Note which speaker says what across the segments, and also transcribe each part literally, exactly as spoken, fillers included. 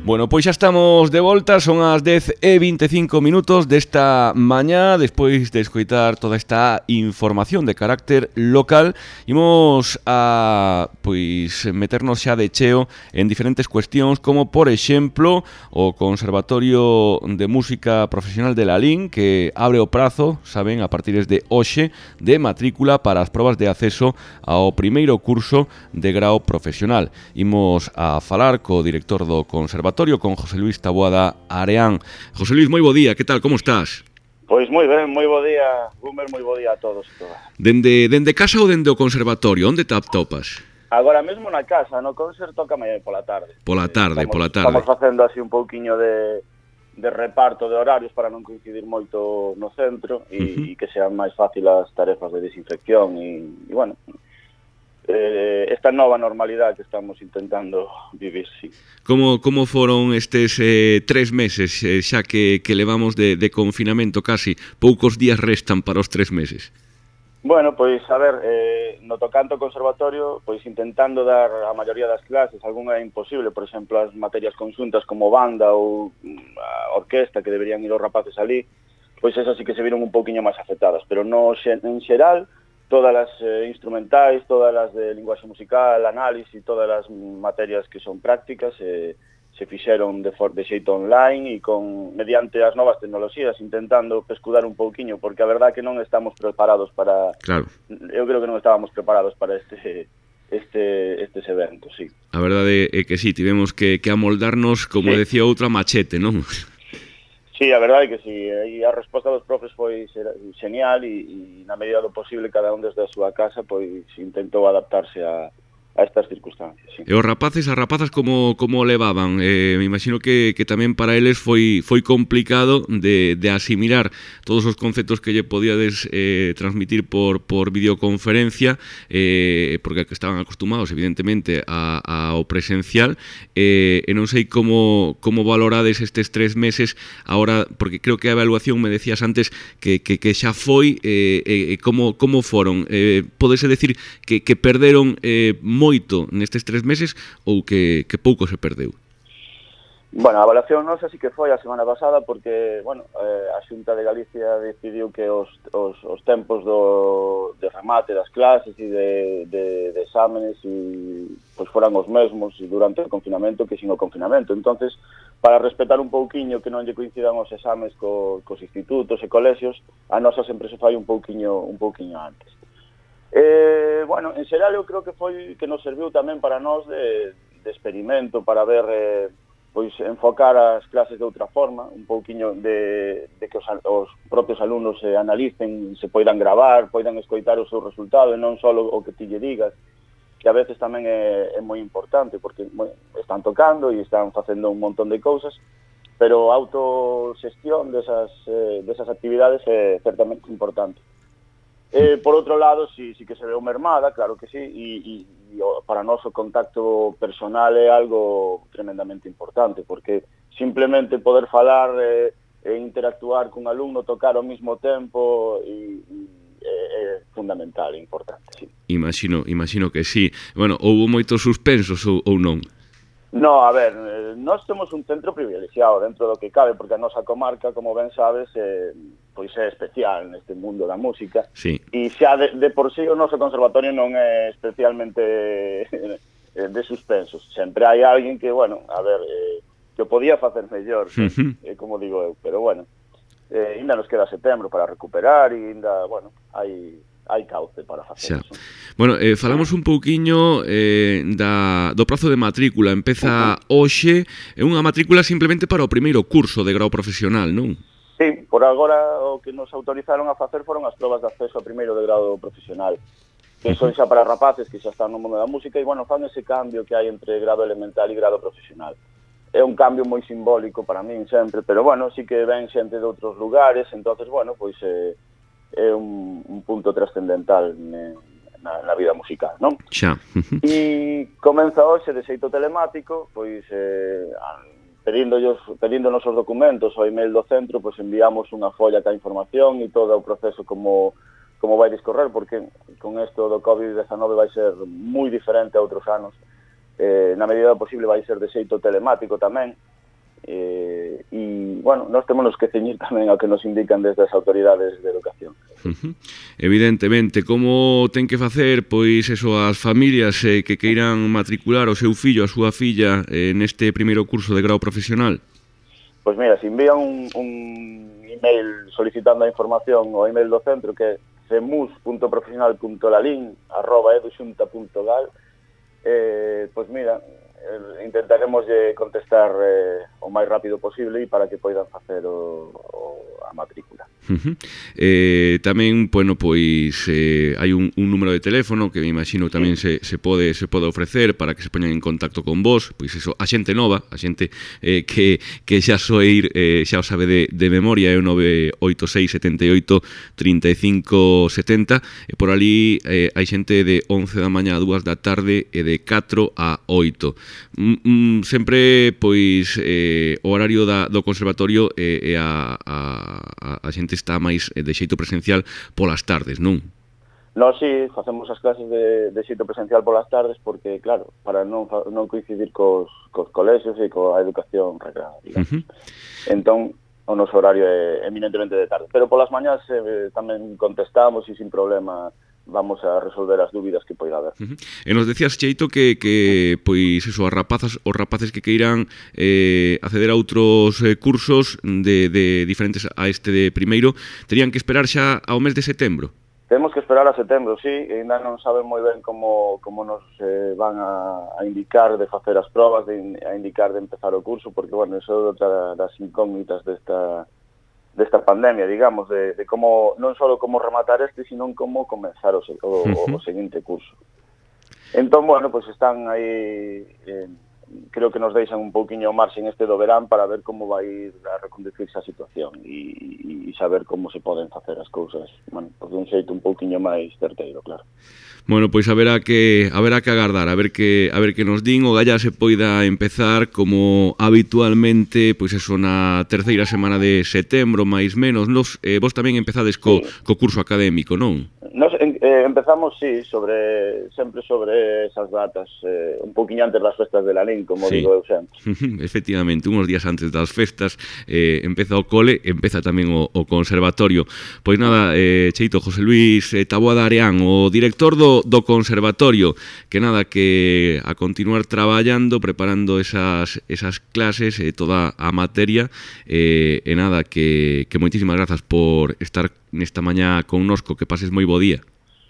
Speaker 1: Bueno, pois xa estamos de volta, son as dez e vinte e cinco minutos desta mañá, despois de escoitar toda esta información de carácter local, imos a pois meternos xa de cheo en diferentes cuestións, como por exemplo o Conservatorio de Música Profesional de Lalín, que abre o prazo, saben, a partir de hoxe, de matrícula para as probas de acceso ao primeiro curso de grao profesional. Imos a falar co director do Conservatorio, con José Luis Taboada Areán. José Luis, moi bo día, que tal, como estás?
Speaker 2: Pois moi ben, moi bo día, Gumer, moi bo día a todos e todas.
Speaker 1: Dende, dende casa ou dende o conservatorio, onde te atopas?
Speaker 2: Agora mesmo na casa, no concerto toca mañá pola tarde.
Speaker 1: Pola tarde,
Speaker 2: estamos,
Speaker 1: pola tarde.
Speaker 2: Estamos facendo así un pouquiño de, de reparto de horarios para non coincidir moito no centro e, uh-huh. e que sean máis fácil as tarefas de desinfección e, e bueno... Eh, esta nova normalidade que estamos intentando vivir, sí.
Speaker 1: Como, como foron estes eh, tres meses, eh, xa que, que levamos de, de confinamento casi? Poucos días restan para os tres meses.
Speaker 2: Bueno, pois, a ver, eh, no tocante ao conservatorio, pois intentando dar a maioría das clases, algunha é imposible, por exemplo, as materias conxuntas como banda ou a orquesta que deberían ir os rapaces ali, pois esas sí que se viron un pouquiño máis afectadas, pero no, en xeral, todas as eh, instrumentais, todas as de linguaxe musical, análisis, todas as materias que son prácticas eh, se fixeron de, for, de xeito online e con mediante as novas tecnoloxías intentando pescudar un pouquiño, porque a verdade que non estamos preparados para...
Speaker 1: Claro.
Speaker 2: Eu creo que non estábamos preparados para este... este estes eventos, sí.
Speaker 1: A verdade é que sí, tivemos que, que amoldarnos, como sí. decía outra, machete, non?
Speaker 2: Sí, a verdade é que sí, e a resposta dos profes foi genial e, e na medida do posible cada un desde a súa casa pois intentou adaptarse a, a estas circunstancias. Sí.
Speaker 1: E os rapaces, as rapazas como, como levaban? Eh, me imagino que, que tamén para eles foi, foi complicado de, de asimilar todos os conceptos que lle podíades eh, transmitir por, por videoconferencia, eh, porque estaban acostumados evidentemente a, a, ao presencial, eh, e non sei como, como valorades estes tres meses agora, porque creo que a evaluación me decías antes que, que, que xa foi, eh, eh, como, como foron? Eh, podese decir que, que perderon eh, moito nestes tres meses ou que, que pouco se perdeu?
Speaker 2: Bueno, a evaluación nosa sí que foi a semana pasada porque, bueno, eh, a Xunta de Galicia decidiu que os, os, os tempos do, de remate das clases e de, de, de exámenes e, pois foran os mesmos durante o confinamento que sin o confinamento. Entonces, para respetar un pouquiño que non lle coincidan os exames co, cos institutos e colexios, a nosa sempre se fai un pouquiño, un pouquiño antes. Eh, bueno, en xeral eu creo que foi que nos serviu tamén para nós de, de experimento, para ver, eh, pois enfocar as clases de outra forma, un pouquiño de, de que os, os propios alumnos se analicen, se poidan gravar, poidan escoitar o seu resultado e non só o que ti lle digas, que a veces tamén é, é moi importante, porque bueno, están tocando e están facendo un montón de cousas, pero a autoxestión desas, eh, desas actividades é certamente importante. Eh, por outro lado, sí, sí que se veu mermada, claro que sí, e, e, e para nós o contacto personal é algo tremendamente importante, porque simplemente poder falar e eh, interactuar cun alumno, tocar ao mesmo tempo e, e é, é fundamental, é importante, sí.
Speaker 1: Imagino, imagino que sí. Bueno, houbo moitos suspensos ou, ou non?
Speaker 2: No, a ver, eh, nós temos un centro privilexiado dentro do que cabe, porque a nosa comarca, como ben sabes, eh, pois é especial neste mundo da música.
Speaker 1: Sí.
Speaker 2: E xa de, de por sí o noso conservatorio non é especialmente de suspensos. Sempre hai alguén que, bueno, a ver, eh, que o podía facer mellor, uh-huh. eh, como digo eu, pero bueno, eh, ainda nos queda setembro para recuperar e ainda, bueno, hai... hai cauce para facer eso.
Speaker 1: Bueno, eh, falamos un pouquiño eh, da, do prazo de matrícula. Empeza uh-huh. hoxe, é unha matrícula simplemente para o primeiro curso de grau profesional, non?
Speaker 2: Sí, por agora o que nos autorizaron a facer foron as probas de acceso ao primeiro de grado profesional, que son xa para rapaces que xa están no mundo da música e, bueno, fan ese cambio que hai entre grado elemental e grado profesional. É un cambio moi simbólico para min sempre, pero, bueno, sí que ven xente de outros lugares, entonces, bueno, pois... Eh, é un, un punto trascendental na, na vida musical, non?
Speaker 1: Xa.
Speaker 2: E comeza hoxe de xeito telemático, pois eh, pedíndonos os documentos ao email do centro, pois enviamos unha folla ca información e todo o proceso como, como vai discorrer, porque con isto do covid diecinueve vai ser moi diferente a outros anos. Eh, na medida do posible vai ser de xeito telemático tamén, e, e bueno, nós temos que ceñir tamén ao que nos indican desde as autoridades de educación.
Speaker 1: Uh-huh. Evidentemente, como ten que facer pois eso as familias eh, que queiran matricular o seu fillo, a súa filla eh, neste primeiro curso de grau profesional?
Speaker 2: Pois mira, se envían un, un email solicitando a información ao email do centro, que é cemus punto profesional punto lalín arroba eduxunta punto gal, eh, pois mira, eh, intentaremos eh, contestar eh, o máis rápido posible e para que poidan facer o, o, a matrícula.
Speaker 1: Uh-huh. eh, tamén, bueno, pois eh, hai un, un número de teléfono que me imagino tamén
Speaker 2: sí.
Speaker 1: se, se pode se pode ofrecer para que se poñan en contacto con vos, pois eso, a xente nova, a xente eh, que, que xa soe ir, eh, xa o sabe de, de memoria, é o nove oito seis sete oito trinta e cinco setenta, e por ali eh, hai xente de once da mañá a dúas da tarde e de catro a oito. Mm, mm, sempre, pois, eh, o horario da, do conservatorio é eh, a, a, a xente está máis de xeito presencial polas tardes, non?
Speaker 2: Nós sí, facemos as clases de, de xeito presencial polas tardes porque, claro, para non, non coincidir cos, cos colexios e coa educación reglada, digamos. Uh-huh. Entón, o noso horario é eminentemente de tarde. Pero polas mañás eh, tamén contestamos e sin problema vamos a resolver as dúbidas que poida haber.
Speaker 1: Uh-huh. E nos decías, Cheito, que, que pois eso, as rapazas, os rapaces que queiran eh, acceder a outros eh, cursos de, de diferentes a este de primeiro, terían que esperar xa ao mes de setembro?
Speaker 2: Temos que esperar a setembro, sí, e ainda non saben moi ben como, como nos eh, van a, a indicar de facer as probas, de, a indicar de empezar o curso, porque, bueno, eso é outra das incógnitas desta desta pandemia, digamos, de, de como, non só como rematar este, sino como comenzar o, o, uh-huh. o seguinte curso. Entón, bueno, pues están aí, eh, creo que nos deixan un pouquiño marxen este do verán para ver como vai ir a reconducirse a situación e, e saber como se poden facer as cousas, bueno, pues de un xeito un pouquiño máis certeiro, claro.
Speaker 1: Bueno, pois haberá que haberá que agardar, a ver que a ver que nos din, o galla se poida empezar como habitualmente, pois eso na terceira semana de setembro, máis menos. Nos eh, vos tamén empezades co, sí. co curso académico, non?
Speaker 2: Nos eh, empezamos, sí, sobre sempre sobre esas datas, eh, un poquinho antes das festas de Lalín, como sí. digo eu sempre.
Speaker 1: Efectivamente, unos días antes das festas eh, empeza o cole, empeza tamén o, o conservatorio. Pois nada, eh, Cheito, José Luis eh, Taboada Areán, o director do, do conservatorio, que nada, que a continuar traballando, preparando esas, esas clases, eh, toda a materia, eh, e nada, que, que moitísimas grazas por estar nesta mañá connosco, que pases moi bo día.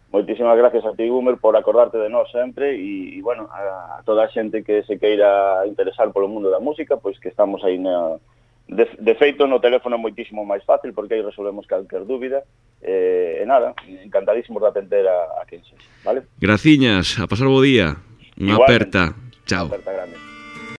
Speaker 2: Moitísimas gracias a ti, Gumer, por acordarte de nós sempre e, e bueno, a, a toda a xente que se queira interesar polo mundo da música, pois que estamos aí na... De, de feito, no teléfono é moitísimo máis fácil porque aí resolvemos calquer dúbida e, e nada, encantadísimos de atender a, a quen xe, vale?
Speaker 1: Graciñas, a pasar bo día. Unha aperta. Chao.
Speaker 2: Unha aperta grande.